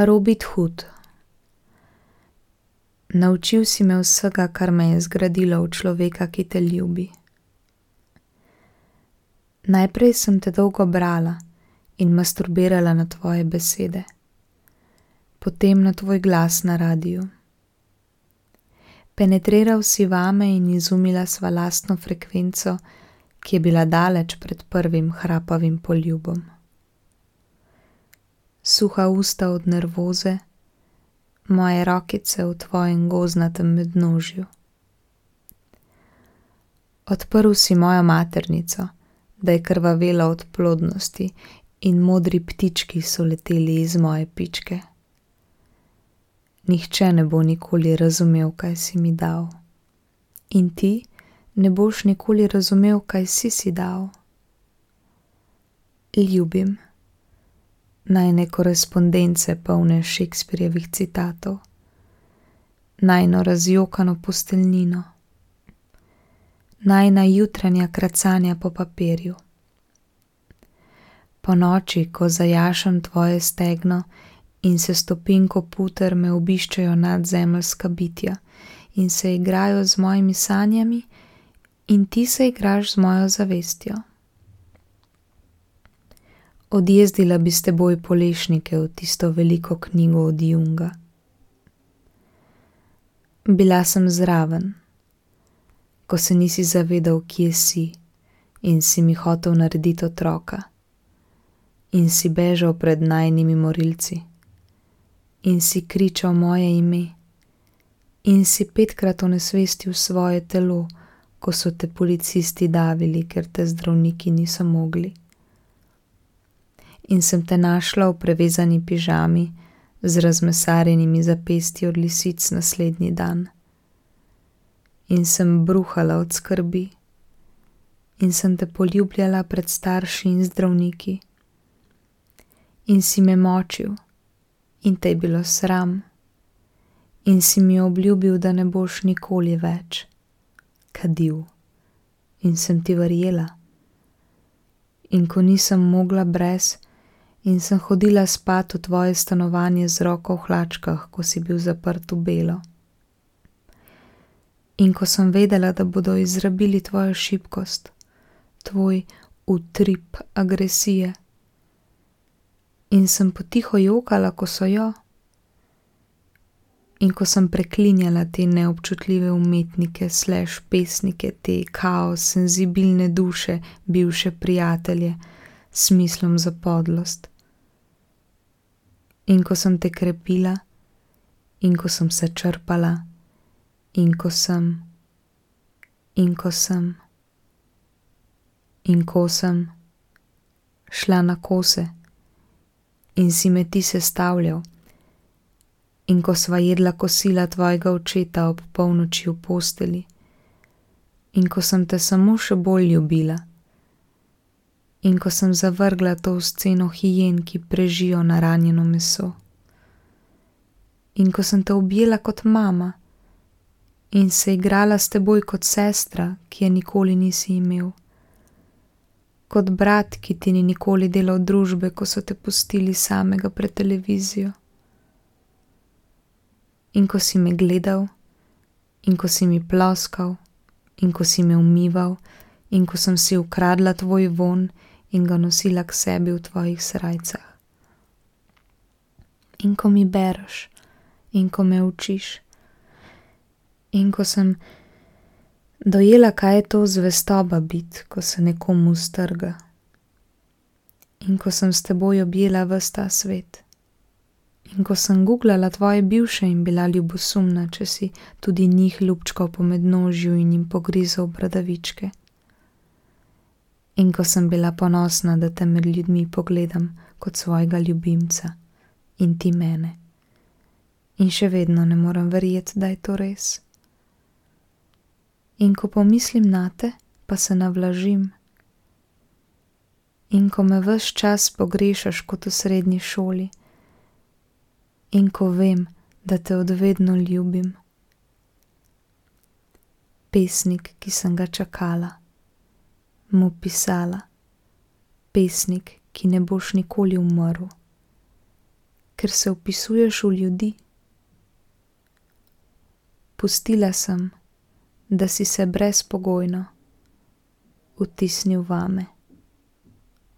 Robin Hood. Naučil si me vsega, kar me je zgradilo v človeka, ki te ljubi. Najprej sem te dolgo brala in masturbirala na tvoje besede, potem na tvoj glas na radiju. Penetriral si vame in izumila sva lastno frekvenco, ki je bila daleč pred prvim hrapavim poljubom. Suha usta od nervoze, moje rokice v tvojem gozdnatem mednožju. Odprl si mojo maternico, da je krvavela od plodnosti in modri ptički so leteli iz moje pičke. Nihče ne bo nikoli razumel, kaj si mi dal. In ti ne boš nikoli razumel, kaj si dal. Ljubim. Najine korespondence polne Shakespearjevih citatov, najino razjokano posteljnino, najina jutranja kracanja po papirju. Po noči, ko zajašam tvoje stegno in se stopim ko puter, me obiščajo nadzemeljska bitja in se igrajo z mojimi sanjami in ti se igraš z mojo zavestjo. Odjezdila bi s teboj polešnike v tisto veliko knjigo od Junga. Bila sem zraven, ko se nisi zavedal, kje si in si mi hotel narediti otroka in si bežal pred najinimi morilci in si kričal moje ime in si 5krat onesvestil svoje telo, ko so te policisti davili, ker te zdravniki niso mogli. In sem te našla v prevezani pižami z razmesarjenimi zapestji od lisic naslednji dan. In sem bruhala od skrbi in sem te poljubljala pred starši in zdravniki. In si me močil in te je bilo sram in si mi obljubil, da ne boš nikoli več kadil. In sem ti verjela. In ko nisem mogla brez, in sem hodila spat v tvoje stanovanje z roko v hlačkah, ko si bil zaprt v belo. In ko sem vedela, da bodo izrabili tvojo šibkost, tvoj utrip agresije. In sem potiho jokala, ko so jo. In ko sem preklinjala te neobčutljive umetnike / pesnike, te kaos, senzibilne duše, bivše prijatelje, s smislom za podlost. In ko sem te krepila, in ko sem se črpala, in ko sem šla na kose in si me ti sestavljal, in ko sva jedla kosila tvojega očeta ob polnoči v posteli, in ko sem te samo še bolj ljubila, in ko sem zavrgla to sceno hijen, ki prežijo na ranjeno meso, in ko sem te objela kot mama in se igrala s teboj kot sestra, ki je nikoli nisi imel, kot brat, ki ti ni nikoli delal družbe, ko so te pustili samega pred televizijo. In ko si me gledal, in ko si mi ploskal, in ko si me umival, in ko sem si ukradla tvoj vonj in ga nosila k sebi v tvojih srajcah. In ko mi bereš, in ko me učiš, in ko sem dojela, kaj je to zvestoba bit, ko se nekomu strga, in ko sem s teboj objela ves ta svet, in ko sem googlala tvoje bivše in bila ljubosumna, če si tudi njih ljubčkal po mednožju in jim pogrizal bradavičke. In ko sem bila ponosna, da te med ljudmi pogledam kot svojega ljubimca in ti mene. In še vedno ne morem verjeti, da je to res. In ko pomislim nate, pa se navlažim. In ko me ves čas pogrešaš kot v srednji šoli. In ko vem, da te odvedno ljubim. Pesnik, ki sem ga čakala, mu pisala, pesnik, ki ne boš nikoli umrl, ker se vpisuješ v ljudi. Pustila sem, da si se brezpogojno vtisnil vame.